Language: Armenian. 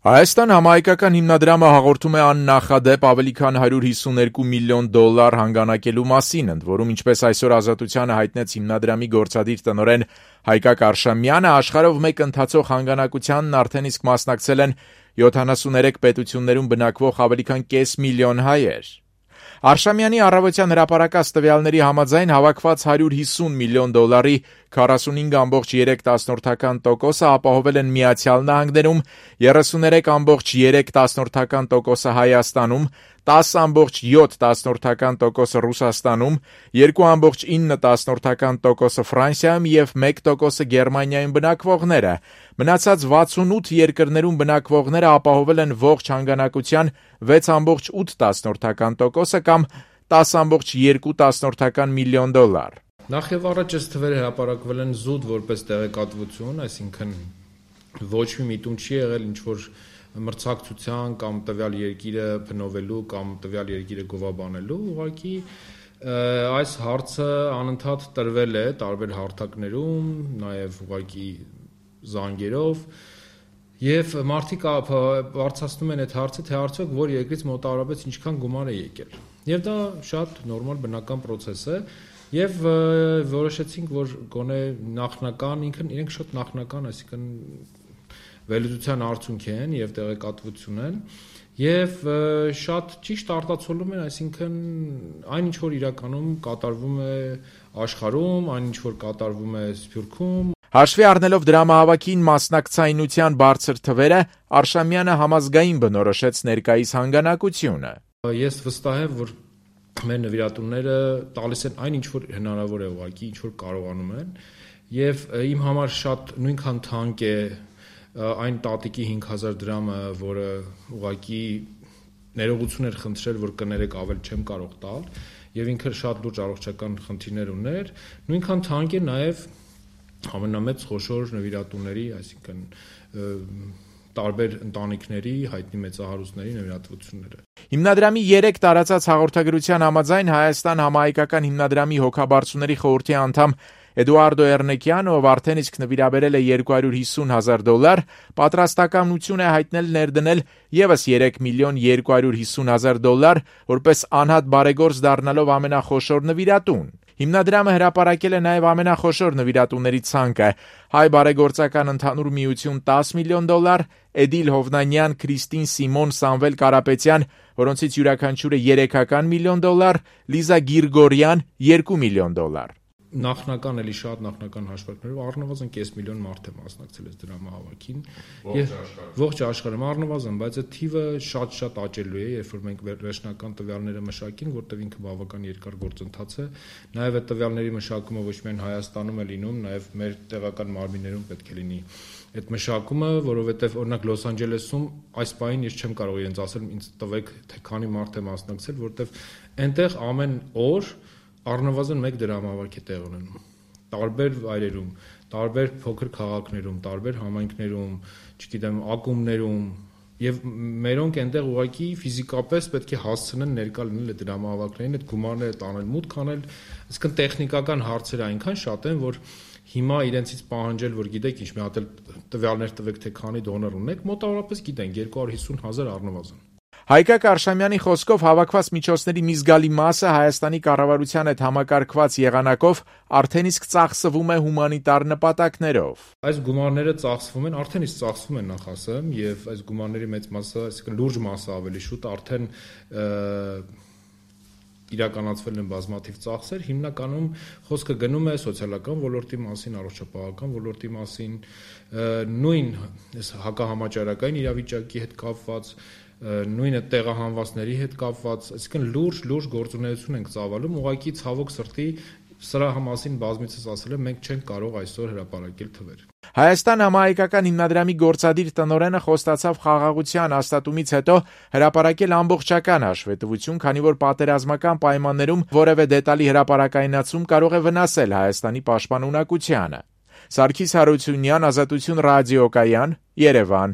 Հայաստան համահայկական հիմնադրամը հաղորդում է աննախադեպ ավելի քան $152 միլիոն հանգանակելու մասին, ընդ որում, ինչպես այսօր Ազատությանը հայտնեց հիմնադրամի գործադիր տնօրեն Հայկակ Արշամյանը, աշխարհով մեկ ընթացող հանգանակությանն արդեն իսկ մասնակցել են 73 պետություններում բնակվող ավելի քան կես միլիոն հայեր։ Արշամյանի առավոտյան հրապարակած տվյալների համաձայն հավաքված $150 միլիոն 45,3% ապահովել են Միացյալ Նահանգներում, 33,3% Հայաստանում, 10,7% Ռուսաստանում, 2,9% Ֆրանսիայում և 1% Գերմանիայում բնակվողները։ Մնացած 68 երկրներում բնակվողները ապահովել են ողջ հանգանակության 6,8% կամ $10,2 միլիոն։ Նախ եւ առաջ այս թվերը հրապարակվել են զուտ որպես տեղեկատվություն, այսինքն ոչ մի միտում չի եղել ինչ-որ մրցակցության կամ տվյալ երկիրը փնովելու կամ տվյալ երկիրը գովաբանելու, ուղղակի այս հարցը անընդհատ տրվել է տարբեր հարթակներում, նաեւ ուղղակի զանգերով, եւ մարդիկ բարձրացնում են այդ հարցը, թե արդյոք որ երկրից մոտավորապես ինչքան գումար է եկել։ Եվ դա շատ նորմալ բնական process է, եւ որոշեցինք, որ գոնե նախնական, իրենք շատ նախնական, այսինքն վերլուծության արդյունք են եւ տեղեկատվություն են, եւ շատ ճիշտ արտացոլում են, այսինքն այն ինչ որ իրականում կատարվում է աշխարհում, այն ինչ որ կատարվում է Սփյուռքում։ Հաշվի առնելով դրամահավաքին մասնակցայնության բարձր թվերը, Արշամյանը համազգային բնորոշեց ներկայիս հանգանակությունը։ Ես վստահ եմ, որ մեր նվիրատուները տալիս են այն ինչ որ հնարավոր է ուղղակի, ինչ որ կարողանում են, եւ իմ համար շատ նույնքան թանկ է այն տատիկի 5000 դրամը, որը ուղղակի ներողություն էր խնդրել, որ կներեք ավել չեմ կարող տալ, եւ ինքը շատ լուրջ առողջական խնդիրներ ուներ, նույնքան թանկ է նաեւ ամենամեծ խոշոր նվիրատուների, այսինքն տարբեր ընտանիքների, հայտնի մեծահարուստների նվիրատվությունները։ Հիմնադրամի 3 տարածած հաղորդագրության համաձայն Հայաստան համահայկական հիմնադրամի հոգաբարձուների խորհրդի անդամ Էդուարդո Էրնեկյանը, ով արդեն իսկ նվիրաբերել է $250,000, պատրաստակամություն է հայտնել ներդնել եւս $3,250,000, որպես անհատ բարեգործ դառնալով ամենախոշոր նվիրատուն։ Հիմնադրամը հրապարակել է նաև ամենախոշոր նվիրատուների ցանկը՝ Հայ բարեգործական ընդհանուր միություն $10 միլիոն, Էդիլ Հովնանյան, Քրիստին Սիմոն, Սամվել Կարապետյան, որոնցից յուրաքանչյուրը $3 միլիոն, Լիզա Գիրգորյան $2 միլիոն։ Նախնական էլի շատ նախնական հաշվարկներով առնվազն կես միլիոն մարդ է մասնակցել այս դրամահավաքին ողջ աշխարհում առնվազն, բայց այդ թիվը շատ աճելու է, երբ որ մենք վերջնական տվյալները մշակենք, որտեղ ինքը բավական երկար գործընթաց է, նաև այդ տվյալների մշակումը ոչ միայն Հայաստանում է լինում, նաև մեր տեղական մարմիններում պետք է լինի այդ մշակումը, որովհետև օրինակ Լոս Անջելեսում այս պահին ես չեմ կարող իրենց ասել, ինձ տվեք թե քանի մարդ է մասնակցել, որտեղ այնտեղ ամեն օր առնվազն մեկ դրամահավաք է տեղ ունենում, տարբեր վայրերում, տարբեր փոքր քաղաքներում, տարբեր համայնքներում, չգիտեմ, ակումբներում, եւ մերոնք այնտեղ ուղղակի ֆիզիկապես պետք է հասցնեն ներկա լինել այդ դրամահավաքներին, այդ գումարները տանել, մուտք անել, այսինքն տեխնիկական հարցերը այնքան շատ են, որ հիմա իրենցից պահանջել, որ գիտեք ինչ, մի հատ տվյալներ տվեք, թե քանի դոնոր ունեք, մոտավորապես գիտենք 250,000 առնվազն։ Հայկակ Արշամյանի խոսքով հավաքված միջոցների մի զգալի մասը Հայաստանի կառավարության հետ համակարգված եղանակով արդեն իսկ ծախսվում է հումանիտար նպատակներով։ Այս գումարները ծախսվում են, արդեն իսկ ծախսվում են նախ ասեմ, եւ այս գումարների մեծ մասը, այսինքն լուրջ մասը ավելի շուտ արդեն իրականացվել են բազմաթիվ ծախսեր, հիմնականում խոսքը գնում է սոցիալական ոլորտի մասին, առողջապահական ոլորտի մասին, նույն հակահամաճարակային իրավիճակի հետ կապված, նույնը տեղահանվածների հետ կապված, այսինքն լուրջ գործունեություն ենք ծավալում, ուղղակի ցավոք սրտի սրա մասին բազմիցս ասել եմ, մենք չենք կարող այսօր հրապարակել թվեր։ Հայաստան համահայկական հիմնադրամի գործադիր տնօրենը խոստացավ խաղաղության հաստատումից հետո հրապարակել ամբողջական հաշվետվություն, քանի որ պատերազմական պայմաններում որևէ դետալի հրապարակայնացում կարող է վնասել Հայաստանի պաշտպանունակությանը։ Սարգիս Հարությունյան, Ազատություն ռադիոկայան, Երևան։